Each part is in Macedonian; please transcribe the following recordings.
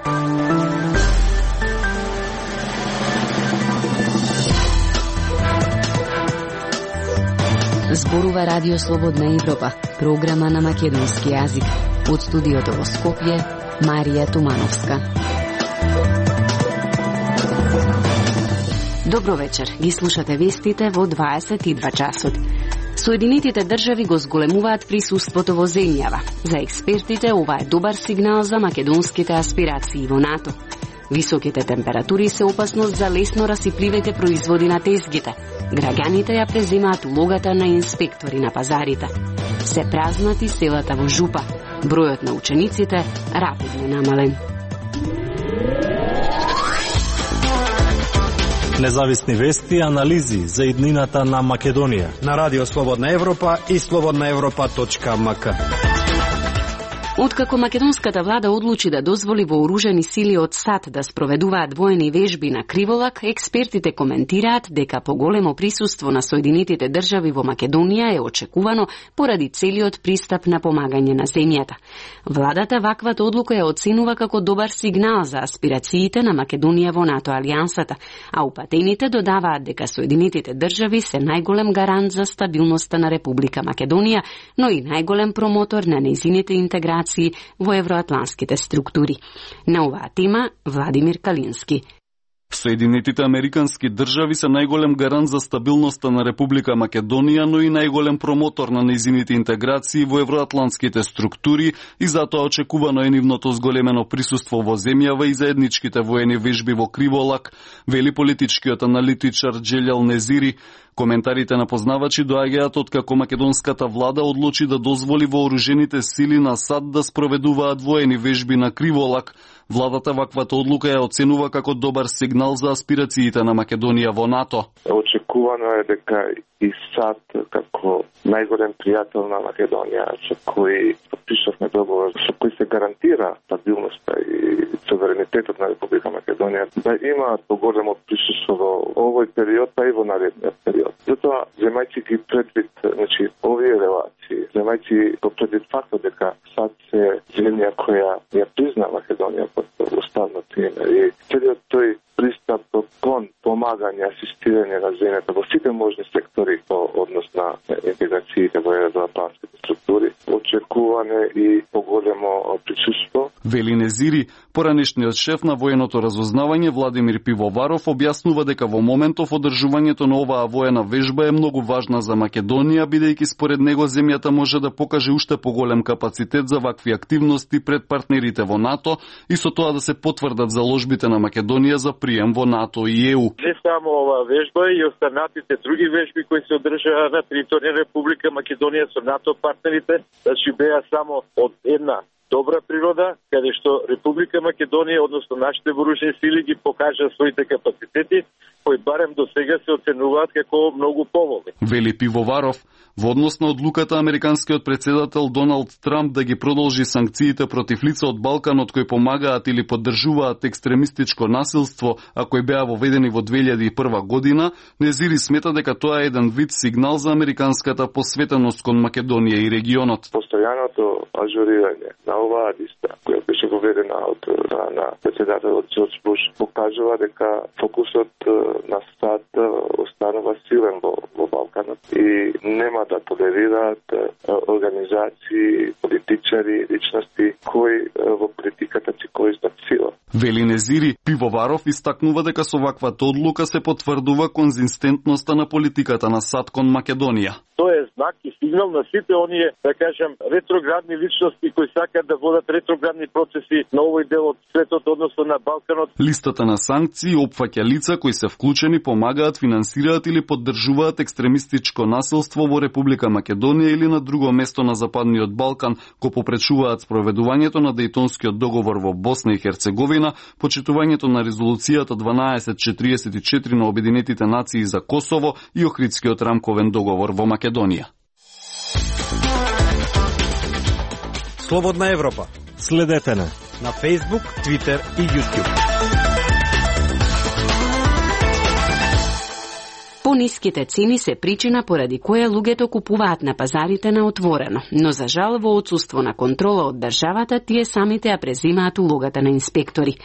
Зборува Радио Слободна Европа, програма на македонски јазик. Од студиото во Скопје, Марија Тумановска. Добро вечер, ги слушате вестите во 22 часот. Соединетите држави го зголемуваат присуството во земјава. За експертите ова е добар сигнал за македонските аспирации во НАТО. Високите температури се опасност за лесно расипливите производи на тезгите. Граѓаните ја преземаат улогата на инспектори на пазарите. Се празнати селата во жупа. Бројот на учениците рапидно намален. Независни вести и анализи за иднината на Македонија на Радио Слободна Европа и slobodnaevropa.mk. Откако македонската влада одлучи да дозволи вооружени сили од САД да спроведуваат воени вежби на Криволак, експертите коментираат дека поголемо присуство на Соединетите држави во Македонија е очекувано поради целиот пристап на помагање на земјата. Владата ваквата одлука ја оценува како добар сигнал за аспирациите на Македонија во НАТО алијансата, а упатените додаваат дека Соединетите држави се најголем гарант за стабилноста на Република Македонија, но и најголем промотор на нејзините интеграции во евроатланските структури. На оваа тема Владимир Калински. Соединетите американски држави се најголем гарант за стабилноста на Република Македонија, но и најголем промотор на нејзините интеграции во евроатланските структури и затоа очекувано е нивното зголемено присуство во земјава и заедничките воени вежби во Криволак, вели политичкиот аналитичар Джелјал Незири. Коментарите на познавачи доаѓаат откако македонската влада одлучи да дозволи вооружените сили на САД да спроведуваат воени вежби на Криволак. Владата ваквата одлука ја оценува како добар сигнал за аспирациите на Македонија во НАТО. Очекувано е дека и САД како најголем пријател на Македонија, со кој подпишавме договор, со кој се гарантира стабилноста и суверенитетот на Република Македонија, да има поголемо присуство во овој период, па и во наредниот период. Затоа, земајќи ги предвид, овие релации, земајќи го предвид фактот дека САД се земја која ја призна Македонија под уставното име и целиот тој пристап кон помагање, асистирање на земјата во сите можни сектори по однос на интеграциите во евроатланските структури, очекуване и поголемо присуство. Вели Незири, поранешниот шеф на военото разузнавање Владимир Пивоваров објаснува дека во моментов одржувањето на оваа воена вежба е многу важна за Македонија, бидејќи според него земјата може да покаже уште поголем капацитет за вакви активности пред партнерите во НАТО и со тоа да се потврдат заложбите на Македонија за прием во НАТО и ЕУ. Не само оваа вежба и останатите други вежби кои се одржаа на територија Република Македонија со НАТО партнерите, значи беа само од една добра природа, каде што Република Македонија, односно нашите вооружени сили ги покажа своите капацитети, кои барем до сега се оценуваат како многу поволни. Вели Пивоваров, во однос на одлуката американскиот председател Доналд Трамп да ги продолжи санкциите против лица од Балканот кои помагаат или поддржуваат екстремистичко насилство, а кои беа воведени во 2001 година, Незири смета дека тоа е еден вид сигнал за американската посветеност кон Македонија и регионот. Постојаното ажурирање на оваа листа, која беше воведена од на председателот Џорџ Буш, покажува дека фокусот на САД останува силен во Балканот и нема да толерираат организации, политичари, личности кои во политиката си користат сила. Вели Незири, Пивоваров истакнува дека со ваквата одлука се потврдува конзистентноста на политиката на САД кон Македонија. Тоа е знак и сигнал на сите оние, да кажем, ретроградни личности кои сакаат да водат ретроградни процеси на овој дел од светот, односно на Балканот. Листата на санкции опфаќа лица кои се вклучени, помагаат, финансираат или поддржуваат екстремистичко насилство во Република Македонија или на друго место на Западниот Балкан, кои попречуваат спроведувањето на Дејтонскиот договор во Босна и Херцеговина, почитувањето на резолуцијата 1244 на Обединетите нации за Косово и Охридскиот рамковен договор во Македонија. Слободна Европа. Следете на Facebook, Twitter и YouTube. Пониските цени се причина поради која луѓето купуваат на пазарите на отворено, но за жал во отсуство на контрола од државата тие самите ја презимаат улогата на инспектори.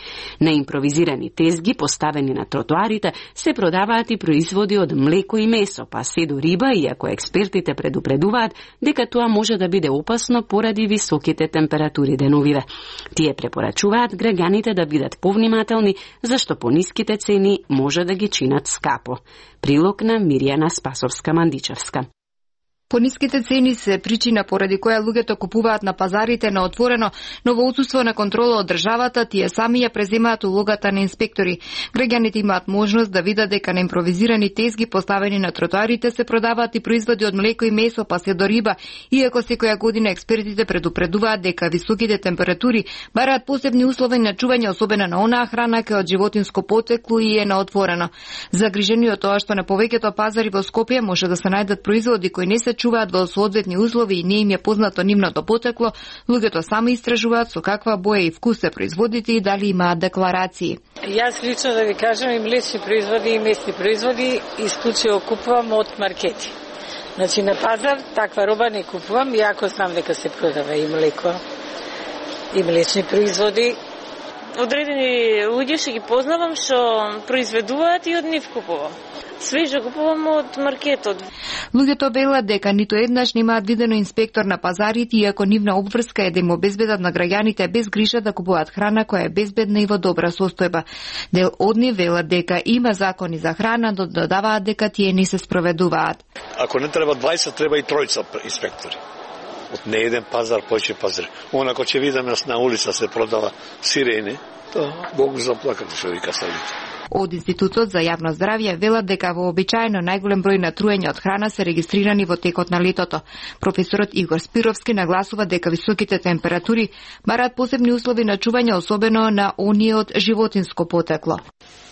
На импровизирани тезги поставени на тротоарите се продаваат и производи од млеко и месо, па се до риба, иако експертите предупредуваат дека тоа може да биде опасно поради високите температури деновиве. Тие препорачуваат граѓаните да бидат повнимателни, зашто пониските цени може да ги чинат скапо. Прилог на Миријана Спасовска-Мандичевска. Пониските цени се причина поради која луѓето купуваат на пазарите на отворено, но во отсуство на контрола од државата тие сами ја преземаат улогата на инспектори. Граѓаните имаат можност да видат дека на импровизирани тезги поставени на тротоарите се продаваат и производи од млеко и месо, па се до риба, иако секоја година експертите предупредуваат дека високите температури бараат посебни услови на чување, особено на онаа храна која од животинско потекло и е на отворено. Загрижени од тоа што на повеќето пазари во Скопје може да се најдат производи кои не се чуваат во соодветни услови и не им е познато нивното потекло, луѓето сами истражуваат со каква боја и вкус се производите и дали имаат декларации. Јас лично да ви кажам, и млечни производи и месни производи исклучиво купувам од маркети. Значи на пазар таква роба не купувам, иако знам дека се продава и млеко и млечни производи. Одредени луѓе што ги познавам што произведуваат и од нив купувам. Свежо купувам од маркетот. Луѓето велат дека ниту еднаш немаат видено инспектор на пазарите, иако нивна обврска е да им обезбедат на граѓаните без грижа да купуваат храна која е безбедна и во добра состојба. Дел од нив велат дека има закони за храна, но додаваат дека тие не се спроведуваат. Ако не треба 20, треба и тројца инспектори. Од не еден пазар, поќе пазар. Онако ќе видиме на улица се продава сирене, тоа Бог заплакате што вика ставите. Од Институтот за јавно здравје велат дека вообичаено најголем број на труење од храна се регистрирани во текот на летото. Професорот Игор Спировски нагласува дека високите температури бараат посебни услови на чување, особено на оние од животинско потекло.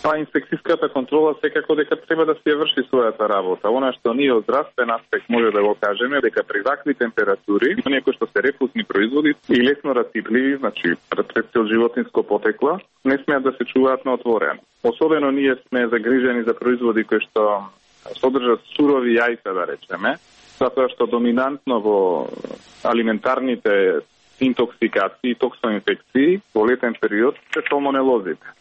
Па инспекцијската контрола секако дека треба да се врши својата работа. Она што ние од здравствен аспект може да го кажеме дека при вакви температури, оние кои што се рефузни производи и лесно растипливи, значи рецепти од животинско потекло, не смеат да се чуваат на отворено. Особено ние сме загрижени за производи кои што содржат сурови јајца, да речеме, затоа што доминантно во алиментарните интоксикации и токсоинфекции во летен период се салмонелозите.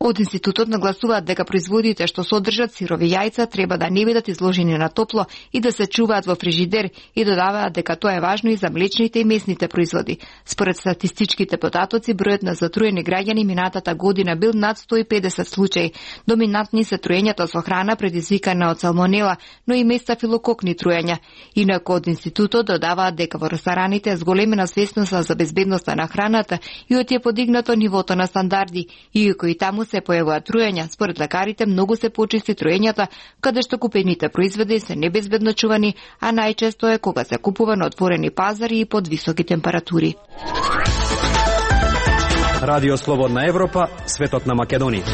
Од Институтот нагласуваат дека производите што содржат сирови јајца треба да не бидат изложени на топло и да се чуваат во фрижидер и додаваат дека тоа е важно и за млечните и месните производи. Според статистичките податоци, бројот на затруени граѓани минатата година бил над 150 случаи. Доминантни се труењата со храна предизвикана од салмонела, но и местафилококни труења. Инаку од Институтот додаваат дека во рестораните е зголемена свесноста за безбедноста на храната и од е подигнато нивото на стандарди, иако и таму се појавуваат труења. Според лекарите многу се почисти труењата каде што купените производи се небезбедно чувани, а најчесто е кога се купува на отворени пазари и под високи температури. Радио Слободна Европа, светот на Македонија.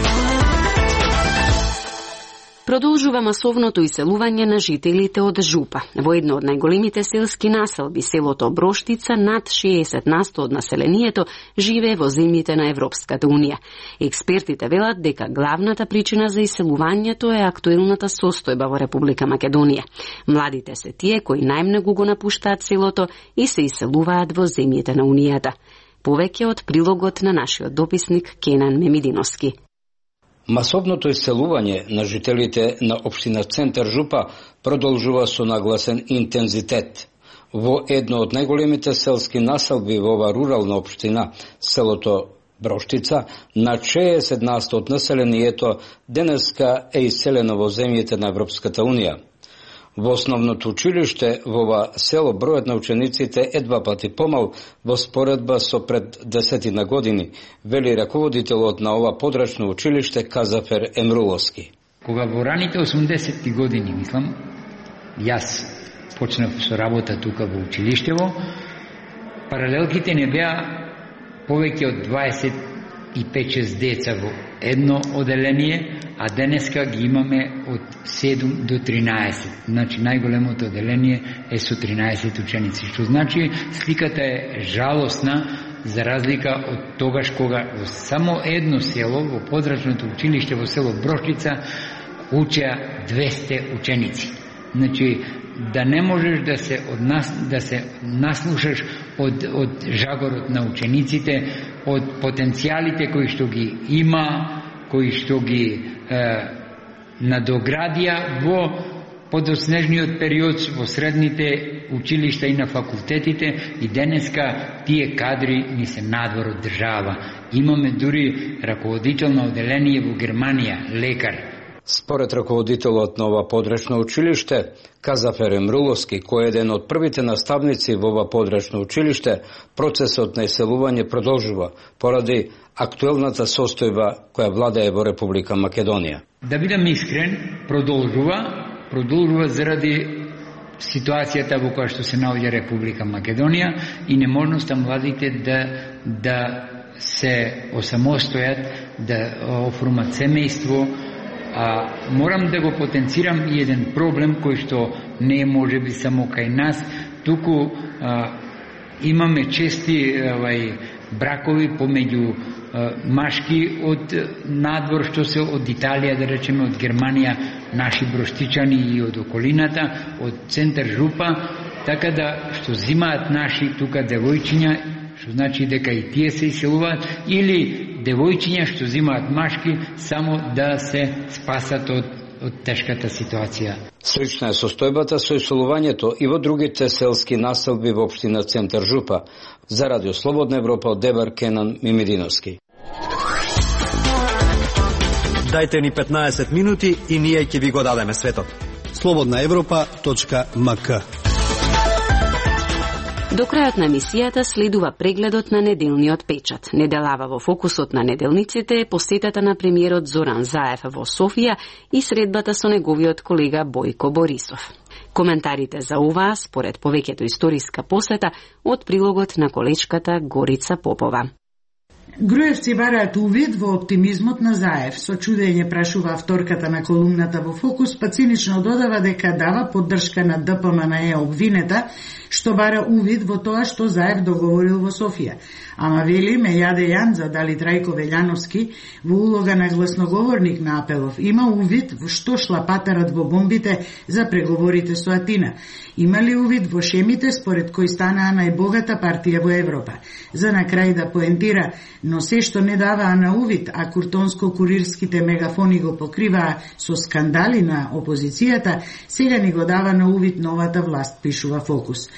Продолжува масовното иселување на жителите од Жупа. Во едно од најголемите селски населби, селото Броштица, над 60% од населението живее во земјите на Европската Унија. Експертите велат дека главната причина за иселувањето е актуелната состојба во Република Македонија. Младите се тие кои најмногу го напуштаат селото и се иселуваат во земјите на Унијата. Повеќе од прилогот на нашиот дописник Кенан Мемидиновски. Масовното иселување на жителите на општина Центар Жупа продолжува со нагласен интензитет. Во едно од најголемите селски населби во ова рурална општина, селото Броштица, на 60% од населението денеска е иселено во земјите на Европската Унија. Во основното училиште во ова село бројот на учениците е 2 пати помал во споредба со пред 10 години, вели раководителот на ова подрачно училиште Казафер Емруловски. Кога во раните 80 години, мислам, јас почнав со работа тука во училиштево, паралелките не беа повеќе од 25-6 деца во едно оделение, а денеска ги имаме од 7 до 13. Значи, најголемото оделение е со 13 ученици, што значи сликата е жалосна, за разлика од тогаш кога во само едно село, во подрачното училиште во село Броштица, учеа 200 ученици. Значи, да не можеш да се наслушаш од жагорот на учениците, од потенцијалите кои што ги има, кои што ги надоградија во подоснежниот период во средните училишта и на факултетите, и денеска тие кадри ни се надвор од држава. Имаме дури раководител на оделение во Германија, лекар. Според раководителот на ова подречно училиште, Казафер Емруловски, кој е еден од првите наставници во ова подречно училиште, процесот на иселување продолжува поради актуелната состојба која владее во Република Македонија. Да бидам искрен, продолжува заради ситуацијата во која што се наоѓа Република Македонија и неможноста младите да се осамостојат, да оформат семејство. Морам да го потенцирам и еден проблем кој што не е можеби само кај нас, туку имаме чести бракови помеѓу машки од надвор, што се од Италија, да речеме од Германија, наши броштичани и од околината, од центар Жупа, така да што зимаат наши тука девојчиња, што значи дека и тие се иселуваат, или девојчиња што зимаат машки само да се спасат од тешката ситуација. Слична е состојбата со иселувањето и во другите селски населби во општина Центар Жупа. За Радио Слободна Европа од Дебар, Кенан Мимидиновски. Дајте ни 15 минути и ние ќе ви го дадеме светот. slobodnaevropa.mk. До крајот на емисијата следува прегледот на неделниот печат. Неделава во фокусот на неделниците е посетата на премиерот Зоран Заев во Софија и средбата со неговиот колега Бојко Борисов. Коментарите за оваа, според повеќето историска посета, од прилогот на колечката Горица Попова. Груевци бараат увид во оптимизмот на Заев. Со чудење прашува авторката на колумната во Фокус, па цинично додава дека дава поддршка на ДПМНЕ обвинета, што бара увид во тоа што Заев договорил во Софија. Ама вели, ме јаде Јанза дали Трајко Велјановски во улога на гласноговорник на Апелов има увид во што шлапатарат во бомбите за преговорите со Атина. Има ли увид во шемите според кои станаа најбогата партија во Европа? За на крај да поентира, но се што не даваа на увид, а куртонско-курирските мегафони го покриваа со скандали на опозицијата, сега ни го дава на увид новата власт, пишува Фокус.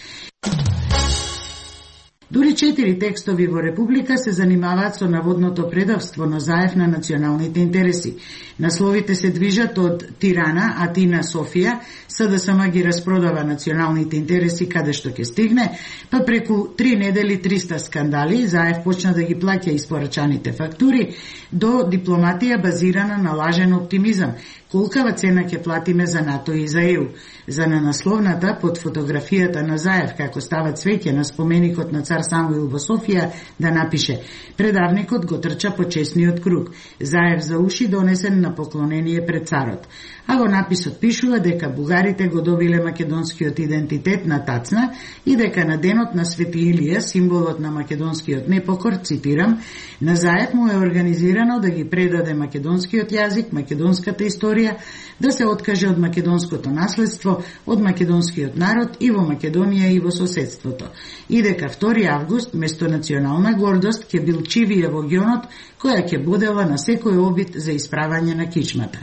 Дури 4 текстови во Република се занимаваат со наводното предавство на Заев на националните интереси. Насловите се движат од Тирана, Атина, Софија, СДСМ ги распродава националните интереси каде што ќе стигне, па преку 3 недели 300 скандали, Заев почна да ги плаќа испорачаните фактури, до дипломатија базирана на лажен оптимизам. Колкава цена ќе платиме за НАТО и за ЕУ? За на насловната, под фотографијата на Заев, како става цвеќе на споменикот на цар Самуил во Софија, да напише: предавникот го трча по честниот круг. Заев за уши донесен на поклонение пред царот. А во написот пишува дека бугарите го добиле македонскиот идентитет на тацна и дека на денот на Свети Илија, символот на македонскиот непокор, цитирам, на Заев му е организирано да ги предаде македонскиот јазик, македонската историја, да се откаже од македонското наследство, од македонскиот народ и во Македонија и во соседството. И дека 2 август, место национална гордост, ќе бил чивија во гионот, која ќе будела на секој обид за исправање на кичмата.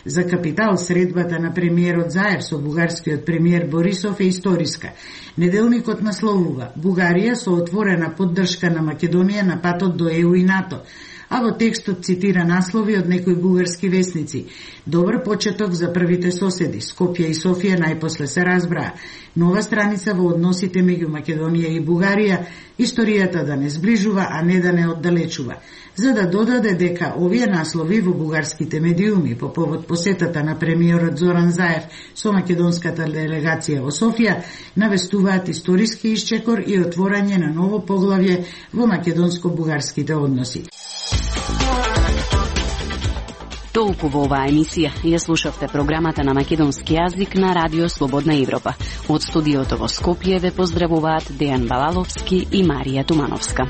За Капитал средбата на премиерот Заев со бугарскиот премиер Борисов е историска. Неделникот насловува: Бугарија со отворена поддршка на Македонија на патот до ЕУ и НАТО. А во текстот цитира наслови од некои бугарски весници. Добар почеток за првите соседи. Скопје и Софија најпосле се разбраа. Нова страница во односите меѓу Македонија и Бугарија, историјата да не сближува, а не да не оддалечува. За да додаде дека овие наслови во бугарските медиуми по повод посетата на премиерот Зоран Заев со македонската делегација во Софија навестуваат историски исчекор и отворање на ново поглавје во македонско-бугарските односи. Толку во оваа емисија. Ја слушавте програмата на македонски јазик на Радио Слободна Европа. Од студиото во Скопје ве поздравуваат Дејан Балаловски и Марија Тумановска.